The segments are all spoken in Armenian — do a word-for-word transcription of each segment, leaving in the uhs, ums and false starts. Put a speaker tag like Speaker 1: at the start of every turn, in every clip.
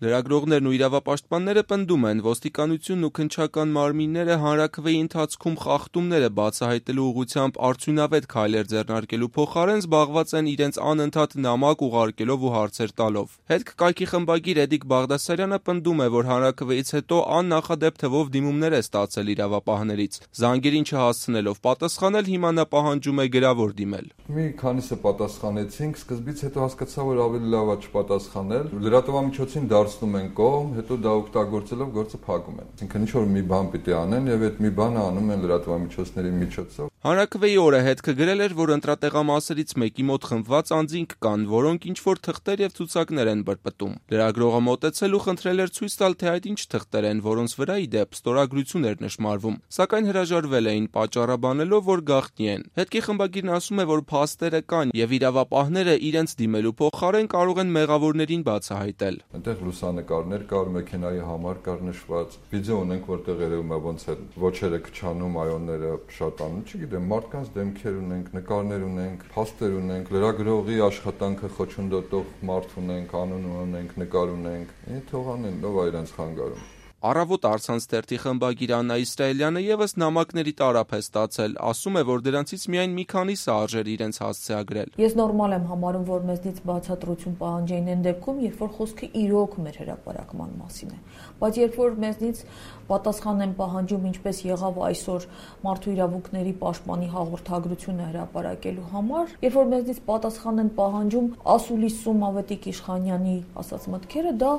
Speaker 1: Լրագրողներն ու իրավապաշտպանները պնդում են, ոստիկանությունն ու քննչական մարմինները հանրաքվեի ընթացքում խախտումները բացահայտելու ուղղությամբ արդյունավետ քայլեր ձեռնարկելու փոխարեն զբաղված են իրենց անընդհատ նամակ ուղարկելով ու հարցեր տալով։ Հետք կայքի խմբագիր Էդիկ Բաղդասարյանը պնդում է, որ հանրաքվեից հետո աննախադեպ թվով դիմումներ է ստացել իրավապահներից։ Զանգերին չհասցնելով պատասխանել, հիմա նա պահանջում է գրավոր դիմել։
Speaker 2: Մի քանիսը պատասխանեցինք, սկզբից հետո հասկացա, որ ավելի լավ է չպատասխանել։ Լրատվամիջոցին դարձնում են կողմ, հետո դա օգտագործելով գործը փակում են։ Այսինքն ինչ որ մի բան պիտի անեն եւ այդ մի բանը անում են լրատվամիջոցների միջոցով։
Speaker 1: Հանրաքվեի օրը հետքը գրել էր, որ ընտրատեղամասերից մեկի մոտ խմբված անձինք կան, որոնք ինչ-որ թղթեր եւ ցուցակներ են բրբտում։ Լրագրողը մոտեցել ու խնդրել էր ցույց տալ, թե այդ ինչ թղթեր են, որոնց վրա ի դեպ ստորագրություն էր նշմարվում, սակայն հրաժարվել էին, պատճառաբանելով, որ գաղտնի են։ Հետքի խմբագիրն ասում է, որ փաստերը կան եւ իրավապահները իրենց դիմելու փոխարեն կարող են մեղավորներին բացահայտել։
Speaker 2: Այնտեղ լուսանկարներ կար, մեքենայի համար կար նշված, վիդեո ունենք, որտեղ երևում է ոնց է ոչերը քչանում, այոնները շատանում, չգիտեմ, մարդկանց դեմքեր ունենք, նկարներ ունենք, փաստեր ունենք, լրագրողի աշխատանքը խոչընդոտող մարդ ունենք, անուն ունենք, նկար ունենք։ Ինչ թողանեն, ով է իրենց խանգարում։
Speaker 1: Առավոտ առցանց թերթի խմբագիր Աննա Իսրայելյանը եւս նամակների տարափ է ստացել, ասում է, որ դրանցից միայն մի քանիսը արժեր իրենց հասցեագրել։
Speaker 3: Ես նորմալ եմ համարում, որ մեզնից բացատրություն պահանջեին այն դեպքում, երբ որ խոսքը իրոք մեր հրապարակման մասին է, բայց երբ որ մեզնից պատասխան են պահանջում, ինչպես եղավ այսօր մարդու իրավունքների պաշտպանի հաղորդագրությունը հրապարակելու համար, երբ որ մեզնից պատասխան են պահանջում ասուլիսում Ավետիք Իշխանյանի ասած մտքերը, դա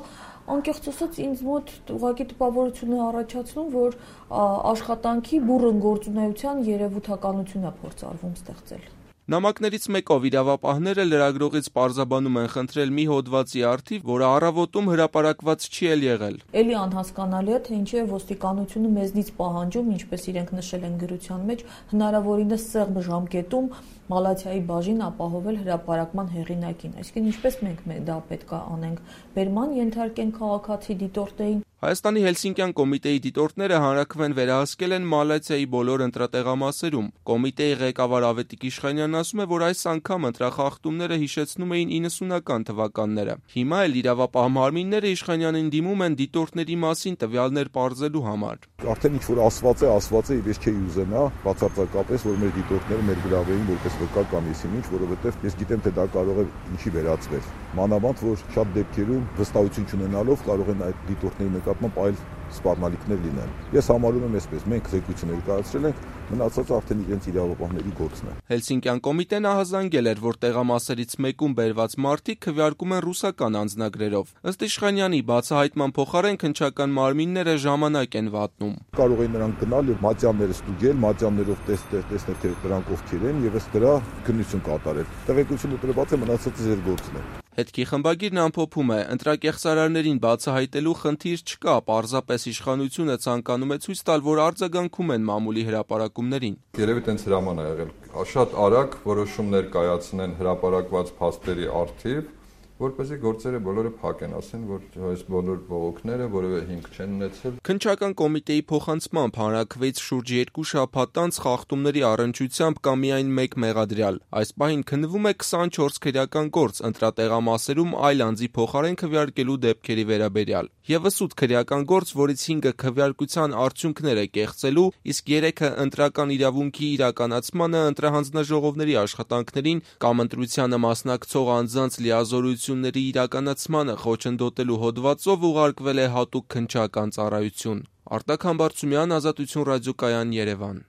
Speaker 3: անկեղծ ասած ինձ մոտ ուղղակի տպավորություն է առաջացնում, որ աշխատանքի բուռն գործունեության երևութականություն է փորձարվում ստեղծել։
Speaker 1: Նամակներից մեկով իրավապահները լրագրողից պարզաբանում են խնդրել մի հոդվածի առթիվ, որը առավոտում հրապարակված չի էլ եղել։
Speaker 3: Էլի անհասկանալի է, թե ինչի է ոստիկանությունը մեզնից պահանջում, ինչպես իրենք նշել են գրության մեջ, հնարավորինս սեղմ ժամկետում մալացիայի բաժին ապահովել հրապարակման հեղինակին։ Այսինքն ինչպես մենք դա պետք է անենք, բերման ենթարկենք քաղաքացի դիտորդներին։
Speaker 1: Հայաստանի Հելսինկյան կոմիտեի դիտորդները հանրաքվեն վերահսկել են Մալացիայի բոլոր ընտրատեղամասերում։ Կոմիտեի ղեկավար Ավետիք Իշխանյանն ասում է, որ այս անգամ ընտրախախտումները հիշեցնում էին իննսունական թվականները։ Հիմա էլ իրավապահ մարմինները Իշխանյանին դիմում են դիտորդների մասին տվյալներ պարզելու համար։
Speaker 4: Արդեն ինչ որ ասված է, ասված է, ես չէի ուզենա բացարձակապես, որ մեր դիտորդները մեր գրավեին որպես վկա կամ եսին ինչ, որովհետև ես գիտեմ, թե դա կարող է ինչի վերածվել։ Մանավանդ, որ շատ դեպքերում վստահություն չունենալով կարող են այդ դիտորդների նկատմամբ այլ սպառնալիքներ լինեն։ Ես համարում եմ այսպես, մենք զեկույցը ներկայացրել ենք, մնացածը արդեն իրենց իրավապահների գործն է։
Speaker 1: Հելսինկյան կոմիտեն ահազանգել էր, որ տեղամասերից մեկում բերված մարդիկ քվեարկում են ռուսական անձնագրերով։ Ըստ Իշխանյանի բացահայտման փոխարեն քննչական մարմինները ժամանակ են վատնում։
Speaker 4: Կարող են նրանք գնալ եւ մատյանները ստուգել, մատյաններով տեսնել, տեսնել թե նրանք ովքեր են եւ ըստ դրա քննություն կատարել։ Տեղեկությունը տրված է, մնացածը ձեր գործն է։
Speaker 1: Հետքի խմբագիրն ամփոփում է, ընտրակեղծարարներին բացահայտելու խնդիր չկա, պարզապես իշխանությունը ցանկանում է ցույց տալ, որ արձագանքում են մամուլի հրապարակումներին։
Speaker 2: Երևի տենց հրաման է եղել, շատ արագ որոշումներ կայացնեն հրապարակված փաստերի առթիվ, որպեսզի գործերը բոլորը փակեն, ասեն, որ այս բոլոր բողոքները որևէ հիմք չեն ունեցել։
Speaker 1: Քննչական կոմիտեի փոխանցմամբ հանրաքվեից շուրջ երկու շաբաթ անց խախտումների առնչությամբ կա միայն մեկ մեղադրյալ։ Այս պահին քննվում է քսանչորս քրեական գործ ընտրատեղամասերում այլ անձի փոխարեն քվեարկելու դեպքերի վերաբերյալ։ Եվս ութ քրեական գործ, որից հինգը քվեարկության արդյունքներ է կեղծելու, իսկ երեքը ընտրական իրավունքի իրականացմանը, ընտրահանձնաժողովների աշխատանքներին կամ ընտրությանը մասնակցող անձանց լիազորությունների իրականացմանը խոչընդոտելու հոդվածով ուղարկվել է հատուկ քննչական ծառայություն։ Արտակ Համբարձումյան, Ազատություն ռադիոկայան, Երևան։